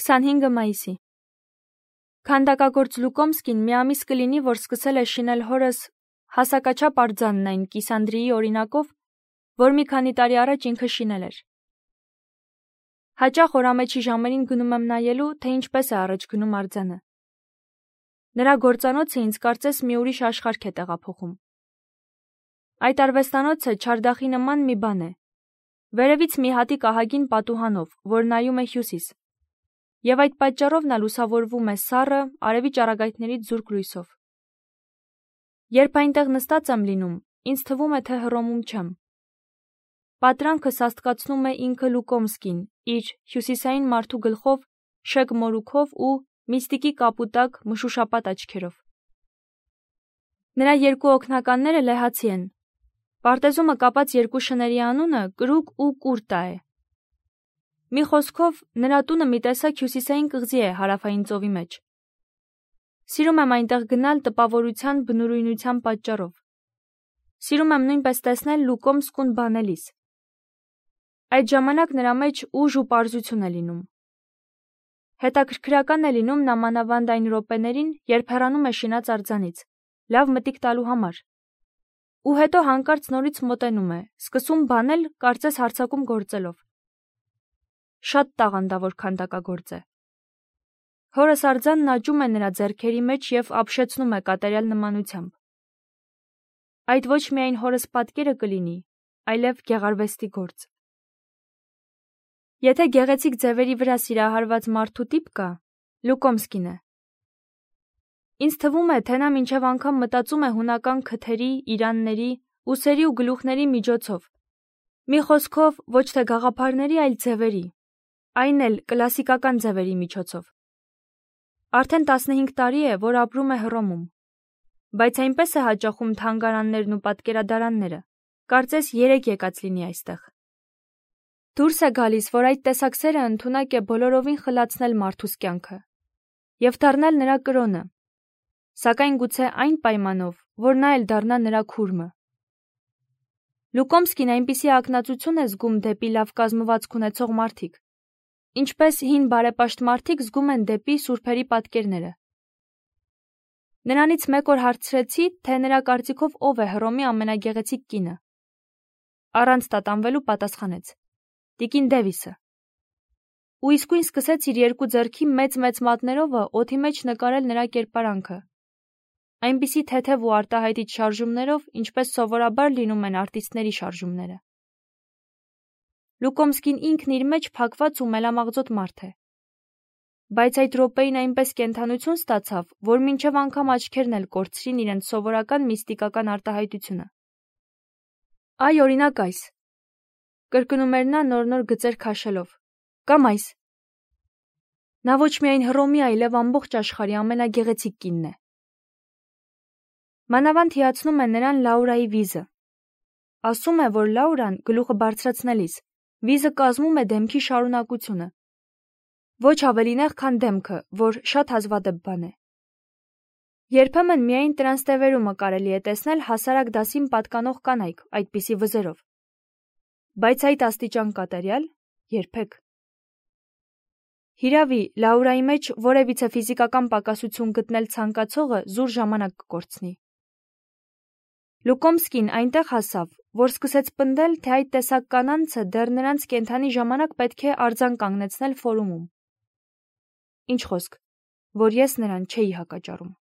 25 մայիսի։ Քանդակագործ Լուկոմսկին մի ամիս կլինի, որ սկսել է շինել հորս հասակաչափ արձանն այն Կիսանդրիի օրինակով, որ մի քանի տարի առաջ ինքը շինել էր։ Հաճախ օրամեջի ժամերին գնում եմ նայելու, թե ինչպես է առաջ գնում արձանը։ Նրա գործանոցը ինձ կարծես մի ուրիշ աշխարհ է տեղափոխում։ Այդ արվեստանոցը չարդախի նման մի բան է։ Վերևից մի հատիկ ահագին պատուհանով, որ նայում է հյուսիս, և այդ պատճառով նա լուսավորվում է սառը, արևի ճառագայթներից զուրկ լույսով։ Երբ այնտեղ նստած եմ լինում, ինձ թվում է, թե հռոմում չեմ։ Պատրանքը սաստկացնում է ինքը Լուկոմսկին, իր հյուսիսային մարդու գլխով, շեկ մորուքով ու միստիկի կապուտակ մշուշապատ աչքերով։ Նրա երկու օգնականները լեհացի են։ Պարտեզումը կապած երկու շների անունը Կրուկ ու Կուրտա է։ Մի խոսքով, նրա տունը մի տեսակ հյուսիսային կղզի է հարավային ծովի մեջ։ Սիրում եմ այնտեղ գնալ տպավորության բնուրույնության պատճառով։ Սիրում եմ նույնպես տեսնել Լուկոմսկուն բանելիս։ Այդ ժամանակ նրա մեջ ուժ ու պարզություն է լինում։ Հետաքրքրական է լինում նամանավանդ այն րոպեներին, երբ հեռանում է շինած արձանից, լավ մտիկ տալու համար։ Ու հետո հանկարծ նորից մոտենում է, սկսում բանել, կարծես հարձակում գործելով։ Շատ տաղանդավոր քանդակագործ է։ Հորս արձանն աճում է նրա ձեռքերի մեջ և ապշեցնում է կատարյալ նմանությամբ։ Այդ ոչ միայն հորս պատկերը կլինի, այլև գեղարվեստի գործ։ Եթե գեղեցիկ ձևերի վրա սիրահարված մարդու տիպ կա, Լուկոմսկին է։ Ինձ թվում է, թե նա մինչև անգամ մտածում է հունական քթերի, իրանների, ուսերի ու գլուխների միջոցով։ Մի խոսքով, ոչ թե գաղափարների, այլ ձևերի, այն էլ կլասիկական ձևերի միջոցով։ Արդեն 15 տարի է, որ ապրում է Հռոմում, բայց այնպես է հաճախում թանգարաններն ու պատկերադարանները, կարծես 3 եկած լինի այստեղ։ Դուրս է գալիս, որ այդ տեսակ սերը ընդունակ է բոլորովին խլացնել մարդուս կյանքը և դառնել նրա կրոնը, սակայն գուցե այն պայմանով, որ նա էլ դառնա նրա քուրմը։ Լուկոմսկին այնպիսի ակնածություն է զգում դեպի լավ կազմվածք ունեցող մարդիկ, ինչպես հին բարեպաշտ մարդիկ զգում են դեպի սուրբերի պատկերները։ Նրանից մեկ օր հարցրեցի, թե նրա կարծիքով ով է Հռոմի ամենագեղեցիկ կինը։ Առանց տատանվելու պատասխանեց. Տիկին Դևիսը։ Ու իսկույն սկսեց իր երկու ձեռքի մեծ մատներովը օդի մեջ նկարել նրա կերպարանքը, այնպիսի թեթև ու արտահայտիչ շարժումներով, ինչպես սովորաբար լինում են արտիստների շարժումները։ Լուկոմսկին ինքն իր մեջ փակված ու մելամաղձոտ մարդ է։ Բայց այդ րոպեին այնպես կենդանություն ստացավ, որ մինչև անգամ աչքերն էլ կորցրին իրենց սովորական միստիկական արտահայտությունը։ Այ օրինակ այս, կրկնում էր նա նոր գծեր քաշելով, կամ այս։ Նա ոչ միայն Հռոմի, այլև ամբողջ աշխարհի ամենագեղեցիկ կինն է։ Մանավանդ հիացնում է նրան Լաուրայի վիզը։ Ասում է, որ Լաուրան գլուխը բարձրացնելիս վիզը կազմում է դեմքի շարունակությունը։ Ոչ ավելի նեղ, քան դեմքը, որ շատ հազվադեպ բան է։ Երբեմն միայն տրանստևերումը կարելի է տեսնել հասարակ դասին պատկանող կանայք այդպիսի վզերով։ Բայց այդ աստիճան կատարյալ երբեք։ Հիրավի, Լաուրայի մեջ որևիցե ֆիզիկական պակասություն գտնել ցանկացողը զուր ժամանակ կկորցնի։ Լուկոմսկին այնտեղ հասավ, որ սկսեց պնդել, թե այդ տեսակ կանանցը դեռ նրանց կենդանի ժամանակ պետք է արձան կանգնեցնել ֆորումում։ Ինչ խոսք, որ ես նրան չէի հակաճառում։